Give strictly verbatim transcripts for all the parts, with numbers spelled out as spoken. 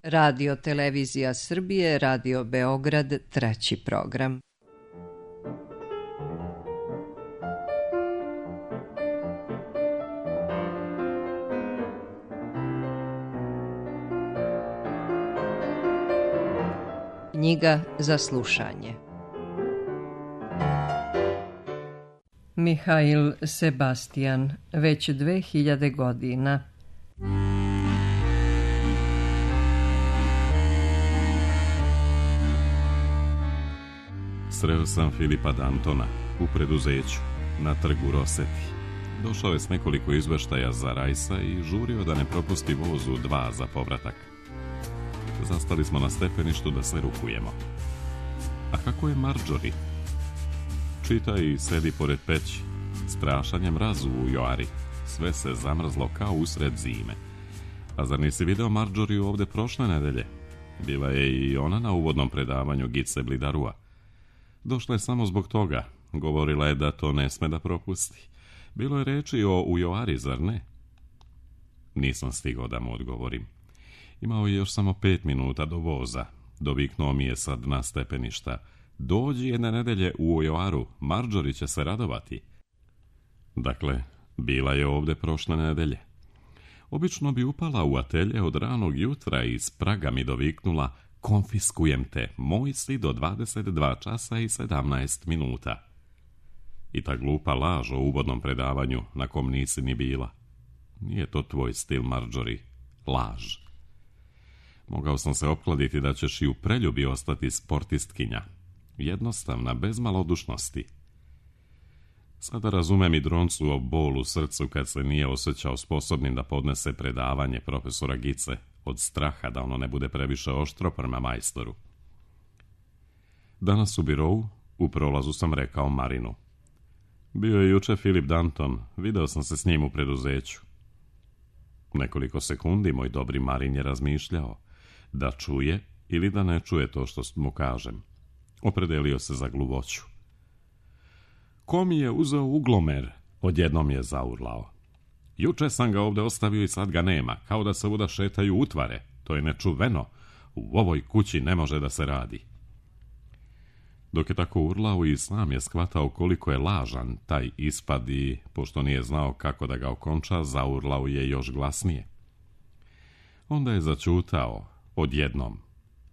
Radio Televizija Srbije, Radio Beograd, treći program. Knjiga za slušanje. Mihail Sebastian, već dve hiljade godina. Sreo sam Filipa Dantona u preduzeću na trgu Roseti. Došao je s nekoliko izveštaja za Rajsa i žurio da ne propusti vozu dva za povratak. Zastali smo na stepeništu da se rukujemo. A kako je Marjorie? Čita i sedi pored peći. Strašan mrazu u Joari. Sve se zamrzlo kao usred zime. A zar nisi video Marjorie ovde prošle nedelje? Bila je i ona na uvodnom predavanju Gice Blidarua. Došla je samo zbog toga. Govorila je da to ne sme da propusti. Bilo je reči o Ujoari, zar ne? Nisam stigao da mu odgovorim. Imao je još samo pet minuta do voza. Doviknuo mi je sa dna stepeništa. Dođi jedne nedelje u Ujoaru, Marjorie će se radovati. Dakle, bila je ovde prošle nedelje. Obično bi upala u atelje od ranog jutra i s praga mi doviknula: konfiskujem te, moj si do dvadeset dva časa i sedamnaest minuta. I ta glupa laž o uvodnom predavanju na kom nisi ni bila. Nije to tvoj stil, Marjorie. Laž. Mogao sam se opkladiti da ćeš i u preljubi ostati sportistkinja. Jednostavna, bez malodušnosti. Sada razumem i Droncu o bolu u srcu kad se nije osjećao sposobnim da podnese predavanje profesora Gice od straha da ono ne bude previše oštro prema majstoru. Danas u birovu, u prolazu sam rekao Marinu. Bio je juče Filip Danton, video sam se s njim u preduzeću. Nekoliko sekundi moj dobri Marin je razmišljao da čuje ili da ne čuje to što mu kažem. Opredelio se za gluvoću. Ko mi je uzeo uglomer? Odjednom je zaurlao. Juče sam ga ovde ostavio i sad ga nema, kao da se uda šetaju utvare. To je nečuveno. U ovoj kući ne može da se radi. Dok je tako urlao i sam je shvatao koliko je lažan taj ispad i, pošto nije znao kako da ga okonča, zaurlao je još glasnije. Onda je začutao, odjednom,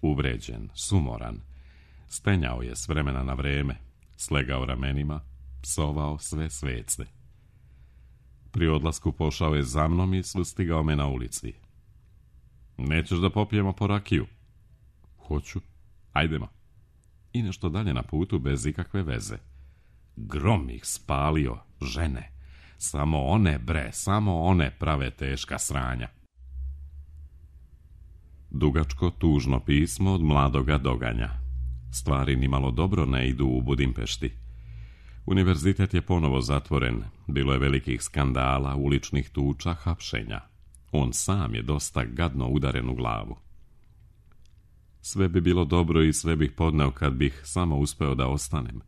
uvređen, sumoran. Stenjao je s vremena na vreme, slegao ramenima, psovao sve svece. Pri odlasku pošao je za mnom i sustigao me na ulici. Nećeš da popijemo po rakiju? Hoću. Ajdemo. I nešto dalje na putu bez ikakve veze. Grom ih spalio, žene. Samo one, bre, samo one prave teška sranja. Dugačko, tužno pismo od mladoga Doganja. Stvari nimalo dobro ne idu u Budimpešti. Univerzitet je ponovo zatvoren, bilo je velikih skandala, uličnih tuča, hapšenja. On sam je dosta gadno udaren u glavu. Sve bi bilo dobro i sve bih podneo kad bih samo uspeo da ostanem.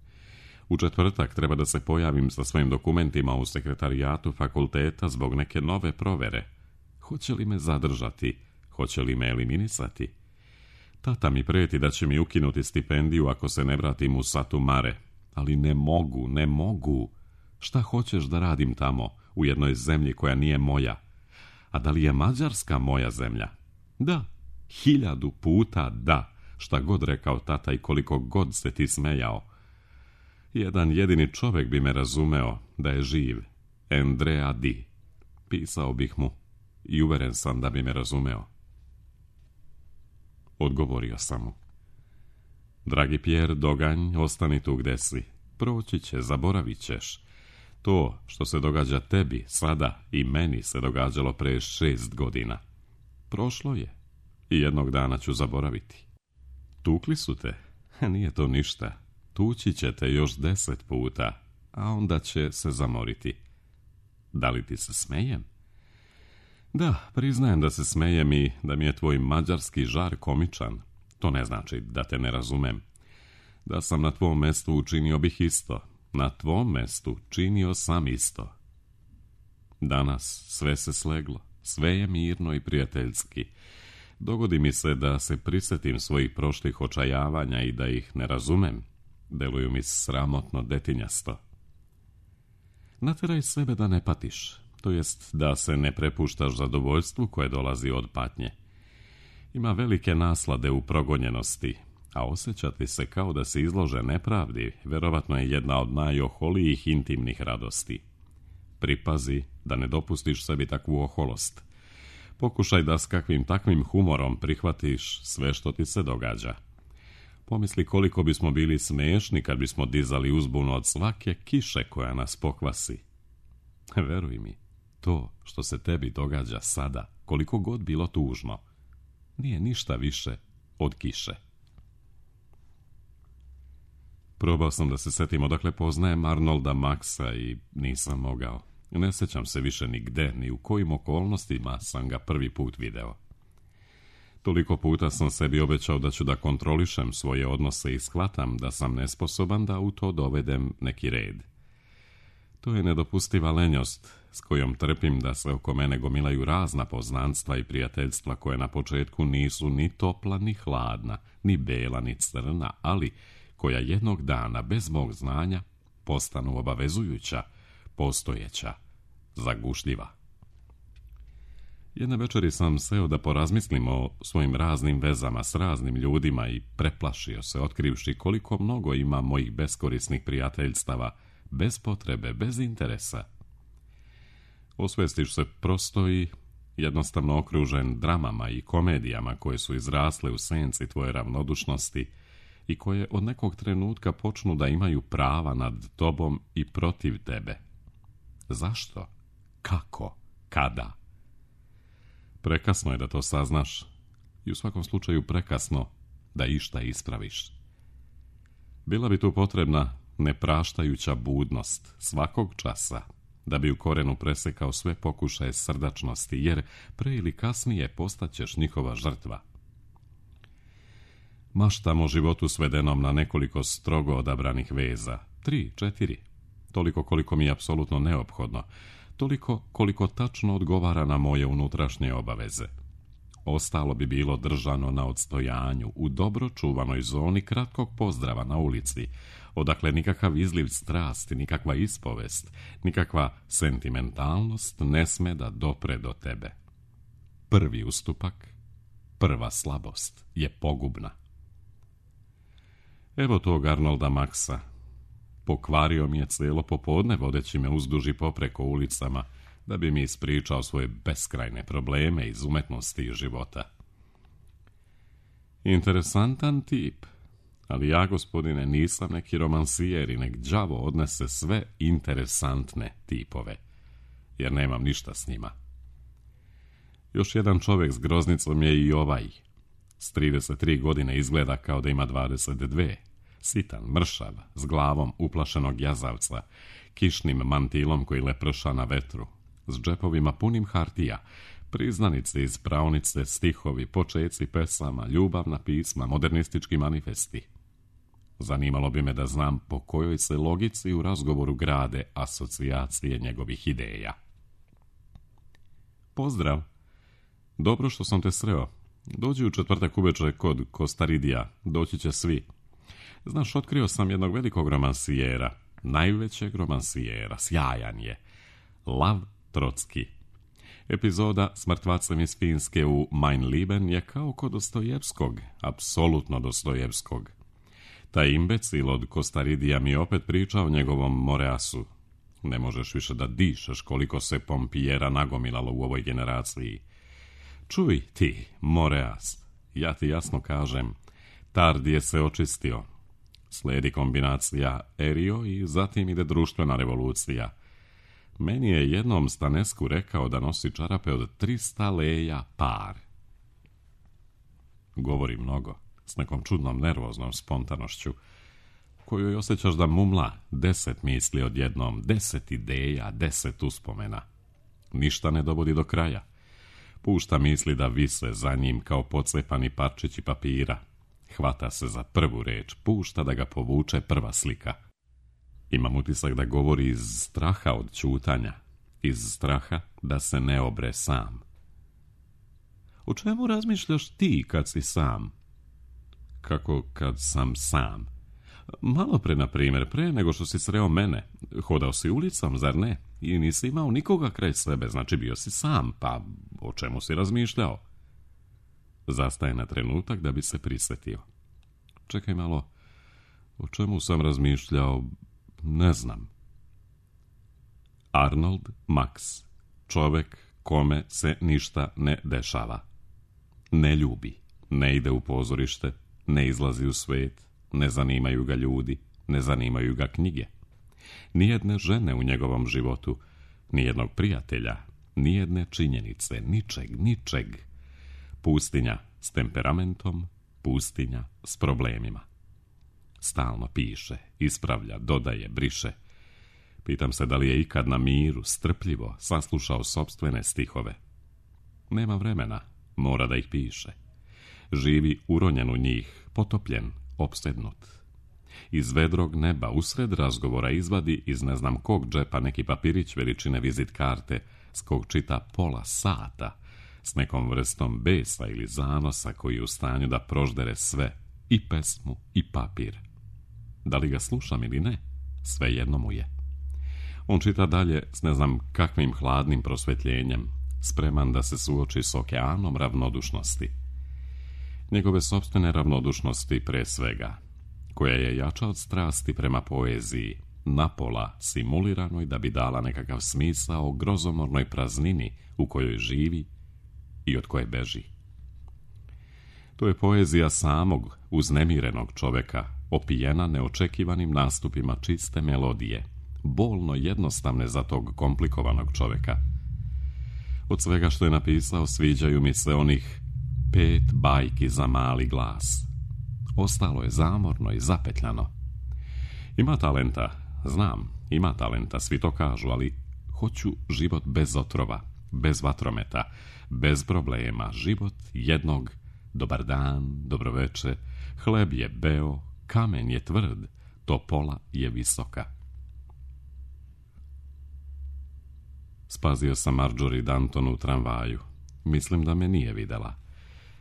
U četvrtak treba da se pojavim sa svojim dokumentima u sekretarijatu fakulteta zbog neke nove provere. Hoće li me zadržati? Hoće li me eliminisati? Tata mi preti da će mi ukinuti stipendiju ako se ne vratim u Satu Mare. Ali ne mogu, ne mogu. Šta hoćeš da radim tamo, u jednoj zemlji koja nije moja? A da li je Mađarska moja zemlja? Da, hiljadu puta da, šta god rekao tata i koliko god se ti smejao. Jedan jedini čovjek bi me razumeo da je živ, Andrea Di. Pisao bih mu i uveren sam da bi me razumeo. Odgovorio sam mu. Dragi Pierre Doganj, ostani tu gde si. Proći će, zaboravit ćeš. To što se događa tebi, sada i meni se događalo pre šest godina. Prošlo je i jednog dana ću zaboraviti. Tukli su te? Nije to ništa. Tući će te još deset puta, a onda će se zamoriti. Da li ti se smejem? Da, priznajem da se smejem i da mi je tvoj mađarski žar komičan. To ne znači da te ne razumem. Da sam na tvom mestu učinio bih isto. Na tvom mestu činio sam isto. Danas sve se sleglo. Sve je mirno i prijateljski. Dogodi mi se da se prisjetim svojih prošlih očajavanja i da ih ne razumem. Deluju mi sramotno detinjasto. Natjeraj sebe da ne patiš, to jest da se ne prepuštaš zadovoljstvu koje dolazi od patnje. Ima velike naslade u progonjenosti, a osjećati se kao da se izlože nepravdi, vjerovatno je jedna od najoholijih intimnih radosti. Pripazi da ne dopustiš sebi takvu oholost. Pokušaj da s kakvim takvim humorom prihvatiš sve što ti se događa. Pomisli koliko bismo bili smiješni kad bismo dizali uzbunu od svake kiše koja nas pokvasi. Veruj mi, to što se tebi događa sada, koliko god bilo tužno, nije ništa više od kiše. Probao sam da se setim odakle poznajem Arnolda Maxa i nisam mogao. Ne sjećam se više ni gde, ni u kojim okolnostima sam ga prvi put video. Toliko puta sam sebi obećao da ću da kontrolišem svoje odnose i shvatam da sam nesposoban da u to dovedem neki red. To je nedopustiva lenjost s kojom trpim da se oko mene gomilaju razna poznanstva i prijateljstva koje na početku nisu ni topla ni hladna, ni bela ni crna, ali koja jednog dana bez mog znanja postanu obavezujuća, postojeća, zagušljiva. Jedne večeri sam seo da porazmislim o svojim raznim vezama s raznim ljudima i preplašio se otkrivši koliko mnogo ima mojih beskorisnih prijateljstava, bez potrebe, bez interesa. Osvestiš se prosto i jednostavno okružen dramama i komedijama koje su izrasle u senci tvoje ravnodušnosti i koje od nekog trenutka počnu da imaju prava nad tobom i protiv tebe. Zašto? Kako? Kada? Prekasno je da to saznaš i u svakom slučaju prekasno da išta ispraviš. Bila bi tu potrebna nepraštajuća budnost svakog časa da bi u korenu presekao sve pokušaje srdačnosti, jer pre ili kasnije postaćeš njihova žrtva. Maštam o životu svedenom na nekoliko strogo odabranih veza, tri, četiri, toliko koliko mi je apsolutno neophodno, toliko koliko tačno odgovara na moje unutrašnje obaveze. Ostalo bi bilo držano na odstojanju, u dobro čuvanoj zoni kratkog pozdrava na ulici, odakle nikakav izliv strasti, nikakva ispovest, nikakva sentimentalnost ne sme da dopre do tebe. Prvi ustupak, prva slabost je pogubna. Evo tog Arnolda Maxa. Pokvario mi je cijelo popodne vodeći me uzduži popreko ulicama da bi mi ispričao svoje beskrajne probleme iz umetnosti i života. Interesantan tip, ali ja, gospodine, nisam neki romansijer i nek đavo odnese sve interesantne tipove, jer nemam ništa s njima. Još jedan čovjek s groznicom je i ovaj. S trideset tri godine izgleda kao da ima dvadeset dve. Sitan, mršav, s glavom uplašenog jazavca, kišnim mantilom koji leprša na vetru, s džepovima punim hartija, priznanice iz praonice, stihovi, počeci pesama, ljubavna pisma, modernistički manifesti. Zanimalo bi me da znam po kojoj se logici u razgovoru grade asocijacije njegovih ideja. Pozdrav! Dobro što sam te sreo. Dođi u četvrtak uveče kod Kostaridija, doći će svi. Znaš, otkrio sam jednog velikog romansijera, najvećeg romansijera, sjajan je. Lav Trotski. Epizoda s mrtvacem iz Finske u Mein Leben je kao kod Dostojevskog, apsolutno Dostojevskog. Taj imbecil od Kostaridija mi opet priča o njegovom Moreasu. Ne možeš više da dišeš koliko se pompijera nagomilalo u ovoj generaciji. Čuj ti, Moreas, ja ti jasno kažem, Tardije se očistio. Slijedi kombinacija Erio i zatim ide društvena revolucija. Meni je jednom Stanesku rekao da nosi čarape od trista leja par. Govori mnogo, s nekom čudnom nervoznom spontanošću, koju osjećaš da mumla deset misli odjednom, deset ideja, deset uspomena. Ništa ne dovodi do kraja. Pušta misli da vise za njim kao pocepani parčići papira. Hvata se za prvu reč, pušta da ga povuče prva slika. Imam utisak da govori iz straha od ćutanja, iz straha da se ne obre sam. O čemu razmišljaš ti kad si sam? Kako kad sam sam? Malo pre, na primjer, pre nego što si sreo mene. Hodao si ulicom, zar ne? I nisi imao nikoga kraj sebe, znači bio si sam, pa o čemu si razmišljao? Zastaje na trenutak da bi se prisjetio. Čekaj malo, o čemu sam razmišljao, ne znam. Arnold Max, čovjek kome se ništa ne dešava. Ne ljubi, ne ide u pozorište, ne izlazi u svijet, ne zanimaju ga ljudi, ne zanimaju ga knjige. Nijedne žene u njegovom životu, nijednog prijatelja, nijedne činjenice, ničeg, ničeg. Pustinja s temperamentom, pustinja s problemima. Stalno piše, ispravlja, dodaje, briše. Pitam se da li je ikad na miru, strpljivo, saslušao sopstvene stihove. Nema vremena, mora da ih piše. Živi uronjen u njih, potopljen, opsednut. Iz vedrog neba usred razgovora izvadi iz ne znam kog džepa neki papirić veličine vizit karte s kog čita pola sata s nekom vrstom besa ili zanosa koji je u stanju da proždere sve, i pesmu i papir. Da li ga slušam ili ne, svejedno mu je. On čita dalje s ne znam kakvim hladnim prosvjetljenjem, spreman da se suoči s okeanom ravnodušnosti. Njegove sopstvene ravnodušnosti pre svega, koja je jača od strasti prema poeziji, napola simuliranoj da bi dala nekakav smisao grozomornoj praznini u kojoj živi i od koje beži. To je poezija samog uznemirenog čovjeka, opijena neočekivanim nastupima čiste melodije, bolno jednostavne za tog komplikovanog čovjeka. Od svega što je napisao sviđaju mi se onih pet bajki za mali glas. Ostalo je zamorno i zapetljano. Ima talenta, znam, ima talenta, svi to kažu, ali hoću život bez otrova, bez vatrometa, bez problema, život jednog dobar dan, dobroveče, hleb je beo, kamen je tvrd, topola je visoka. Spazio sam Marjorie Danton u tramvaju. Mislim da me nije videla.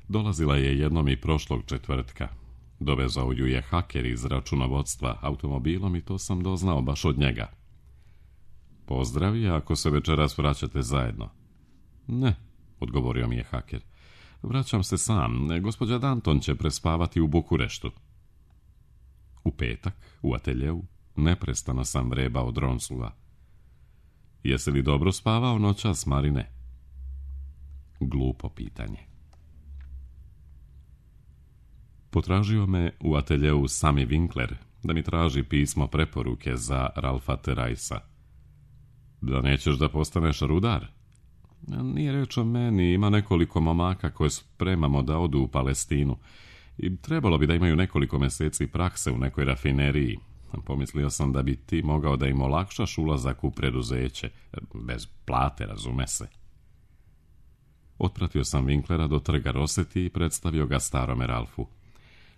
Dolazila je jednom i prošlog četvrtka. Dovezao ju je haker iz računovodstva automobilom i to sam doznao baš od njega. Pozdravi, ako se večeras vraćate zajedno. Ne, odgovorio mi je haker. Vraćam se sam, gospođa Danton će prespavati u Bukureštu. U petak, u ateljeu, neprestano sam vrebao Dronsua. Jesi li dobro spavao noćas, Marine? Glupo pitanje. Potražio me u ateljeu Sammy Winkler da mi traži pismo preporuke za Ralfa Terajsa. Da nećeš da postaneš rudar? Nije reč o meni, ima nekoliko momaka koje spremamo da odu u Palestinu i trebalo bi da imaju nekoliko mjeseci prakse u nekoj rafineriji. Pomislio sam da bi ti mogao da im olakšaš ulazak u preduzeće, bez plate, razume se. Otpratio sam Winklera do trga Roseti i predstavio ga starome Ralfu.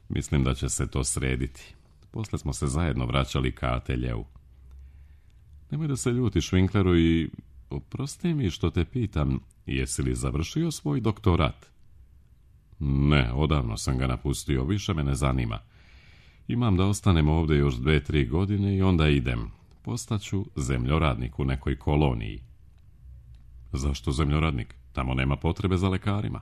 Mislim da će se to srediti. Posle smo se zajedno vraćali ka ateljeu. Nemoj da se ljutiš, Winkleru, i oprosti mi što te pitam, jesi li završio svoj doktorat? Ne, odavno sam ga napustio, više me ne zanima. Imam da ostanem ovdje još dve, tri godine i onda idem. Postaću zemljoradnik u nekoj koloniji. Zašto zemljoradnik? Tamo nema potrebe za lekarima.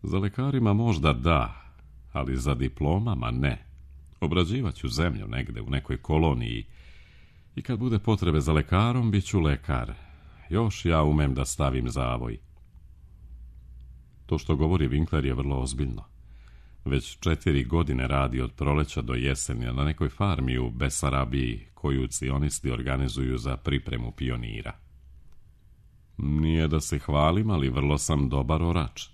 Za lekarima možda da, ali za diplomama ne. Obrađivat ću zemlju negde u nekoj koloniji i kad bude potrebe za lekarom, bit ću lekar. Još ja umem da stavim zavoj. To što govori Winkler je vrlo ozbiljno. Već četiri godine radi od proleća do jeseni na nekoj farmi u Besarabiji koju cionisti organizuju za pripremu pionira. Nije da se hvalim, ali vrlo sam dobar orač.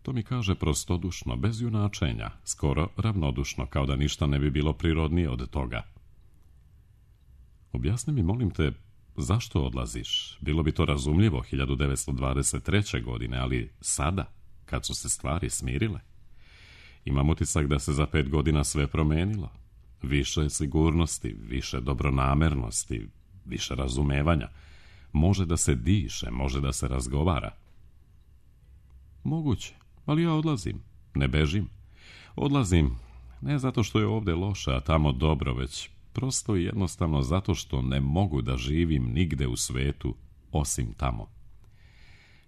To mi kaže prostodušno, bez junačenja, skoro ravnodušno, kao da ništa ne bi bilo prirodnije od toga. Objasni mi, molim te, zašto odlaziš? Bilo bi to razumljivo hiljadu devetsto dvadeset treće. godine, ali sada, kad su se stvari smirile. Imam utisak da se za pet godina sve promenilo. Više sigurnosti, više dobronamernosti, više razumevanja. Može da se diše, može da se razgovara. Moguće, ali ja odlazim, ne bežim. Odlazim ne zato što je ovdje loše, a tamo dobro, već prosto i jednostavno zato što ne mogu da živim nigde u svetu osim tamo.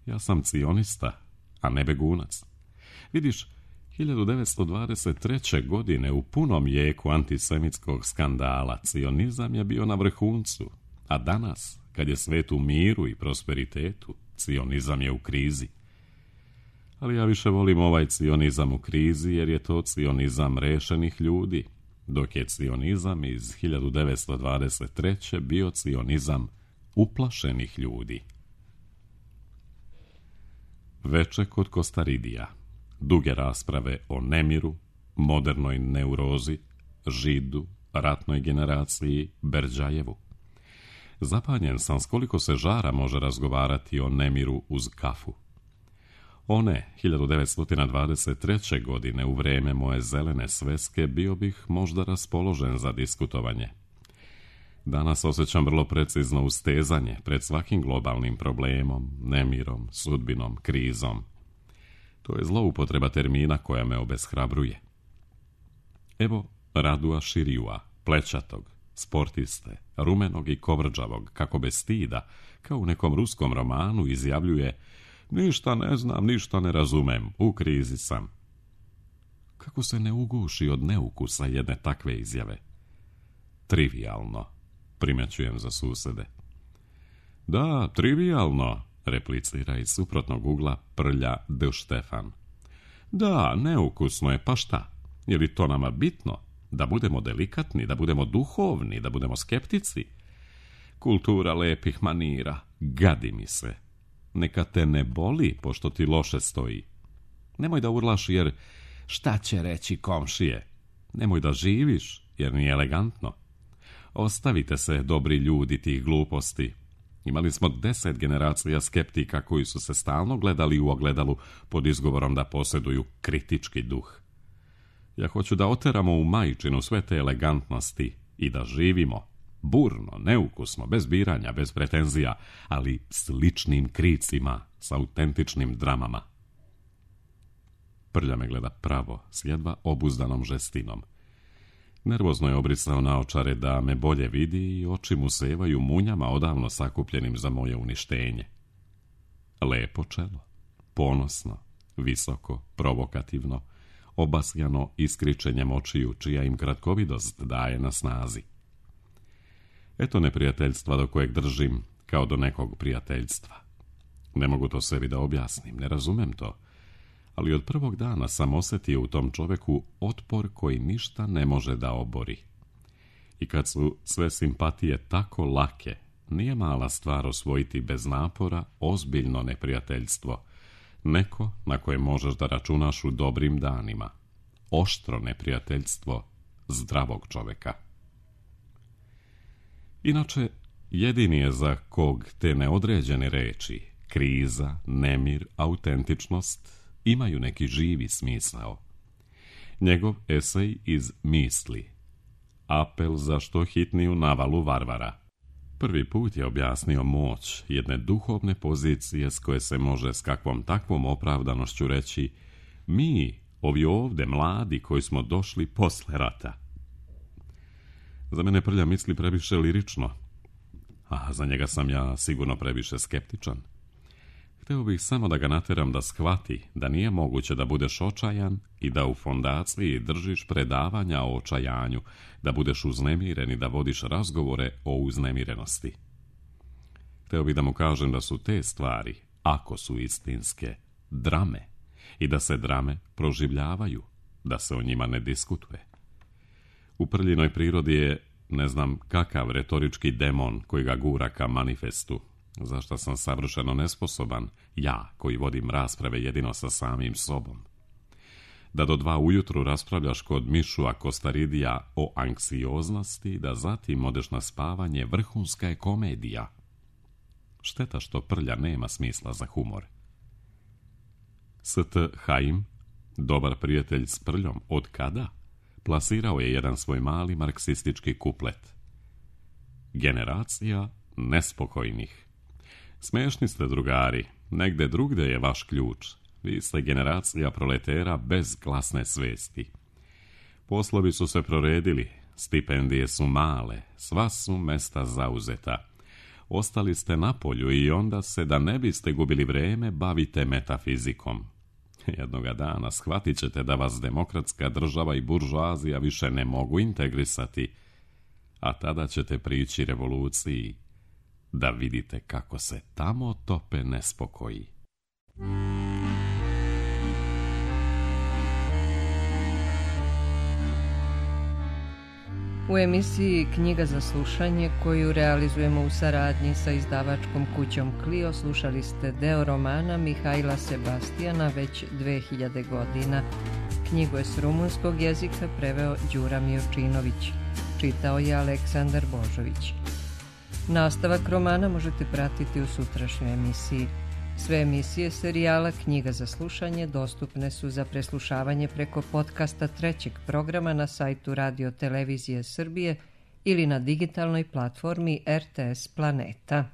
Ja sam cionista, a ne begunac. Vidiš, hiljadu devetsto dvadeset treće. godine u punom jeku antisemitskog skandala cionizam je bio na vrhuncu, a danas, kad je svet u miru i prosperitetu, cionizam je u krizi. Ali ja više volim ovaj cionizam u krizi jer je to cionizam rešenih ljudi, dok je cionizam iz hiljadu devetsto dvadeset treće. bio cionizam uplašenih ljudi. Veče kod Kostaridija. Duge rasprave o nemiru, modernoj neurozi, židu, ratnoj generaciji, Berdjajevu. Zapanjen sam s koliko se žara može razgovarati o nemiru uz kafu. One, hiljadu devetsto dvadeset treće. godine, u vreme moje zelene sveske, bio bih možda raspoložen za diskutovanje. Danas osjećam vrlo precizno ustezanje pred svakim globalnim problemom, nemirom, sudbinom, krizom. To je zloupotreba termina koja me obeshrabruje. Evo Radua Širiua, plećatog, sportiste, rumenog i kovrđavog, kako bez stida, kao u nekom ruskom romanu, izjavljuje: ništa ne znam, ništa ne razumem, u krizi sam. Kako se ne uguši od neukusa jedne takve izjave? Trivijalno, primećujem za susede. Da, trivijalno, replicira iz suprotnog ugla Prlja D. Štefan. Da, neukusno je, pa šta? Je li to nama bitno? Da budemo delikatni, da budemo duhovni, da budemo skeptici? Kultura lepih manira, gadi mi se. Neka te ne boli, pošto ti loše stoji. Nemoj da urlaš, jer šta će reći komšije? Nemoj da živiš, jer nije elegantno. Ostavite se, dobri ljudi, tih gluposti. Imali smo deset generacija skeptika koji su se stalno gledali u ogledalu pod izgovorom da posjeduju kritički duh. Ja hoću da oteramo u majčinu sve te elegantnosti i da živimo burno, neukusno, bez biranja, bez pretenzija, ali s ličnim kricima, s autentičnim dramama. Prlja me gleda pravo, s jedva obuzdanom žestinom. Nervozno je obrisao naočare da me bolje vidi i oči mu sevaju munjama odavno sakupljenim za moje uništenje. Lepo čelo, ponosno, visoko, provokativno, obasjano iskričenjem očiju, čija im kratkovidost daje na snazi. Eto neprijateljstva do kojeg držim kao do nekog prijateljstva. Ne mogu to sebi da objasnim, ne razumem to, ali od prvog dana sam osjetio u tom čoveku otpor koji ništa ne može da obori. I kad su sve simpatije tako lake, nije mala stvar osvojiti bez napora ozbiljno neprijateljstvo, neko na koje možeš da računaš u dobrim danima, oštro neprijateljstvo zdravog čoveka. Inače, jedini je za kog te neodređene reči, kriza, nemir, autentičnost, imaju neki živi smisao. Njegov esej iz Misli, apel za što hitniju navalu varvara. Prvi put je objasnio moć jedne duhovne pozicije s koje se može s kakvom takvom opravdanošću reći: mi, ovi ovde mladi koji smo došli posle rata. Za mene Prlja misli previše lirično, a za njega sam ja sigurno previše skeptičan. Hteo bih samo da ga nateram da shvati da nije moguće da budeš očajan i da u fondaciji držiš predavanja o očajanju, da budeš uznemiren i da vodiš razgovore o uznemirenosti. Hteo bih da mu kažem da su te stvari, ako su istinske, drame i da se drame proživljavaju, da se o njima ne diskutuje. U Prljinoj prirodi je ne znam kakav retorički demon koji ga gura ka manifestu, za što sam savršeno nesposoban, ja koji vodim rasprave jedino sa samim sobom. Da do dva ujutru raspravljaš kod Mišua Kostaridija o anksioznosti, da zatim odeš na spavanje, vrhunska je komedija. Šteta što Prlja nema smisla za humor. S T Haim, dobar prijatelj s Prljom, od kada? Plasirao je jedan svoj mali marksistički kuplet. Generacija nespokojnih. Smešni ste, drugari, negde drugde je vaš ključ. Vi ste generacija proletera bez glasne svesti. Poslovi su se proredili, stipendije su male, sva su mesta zauzeta. Ostali ste na polju i onda se, da ne biste gubili vreme, bavite metafizikom. Jednoga dana shvatit ćete da vas demokratska država i buržoazija više ne mogu integrisati, a tada ćete prići revoluciji, da vidite kako se tamo tope nespokoji. U emisiji Knjiga za slušanje, koju realizujemo u saradnji sa izdavačkom kućom Clio, slušali ste deo romana Mihajla Sebastijana Već dve hiljade godina. Knjigu je s rumunskog jezika preveo Đura Miočinović. Čitao je Aleksandar Božović. Nastavak romana možete pratiti u sutrašnjoj emisiji. Sve emisije serijala Knjiga za slušanje dostupne su za preslušavanje preko podcasta trećeg programa na sajtu Radio Televizije Srbije ili na digitalnoj platformi R T S Planeta.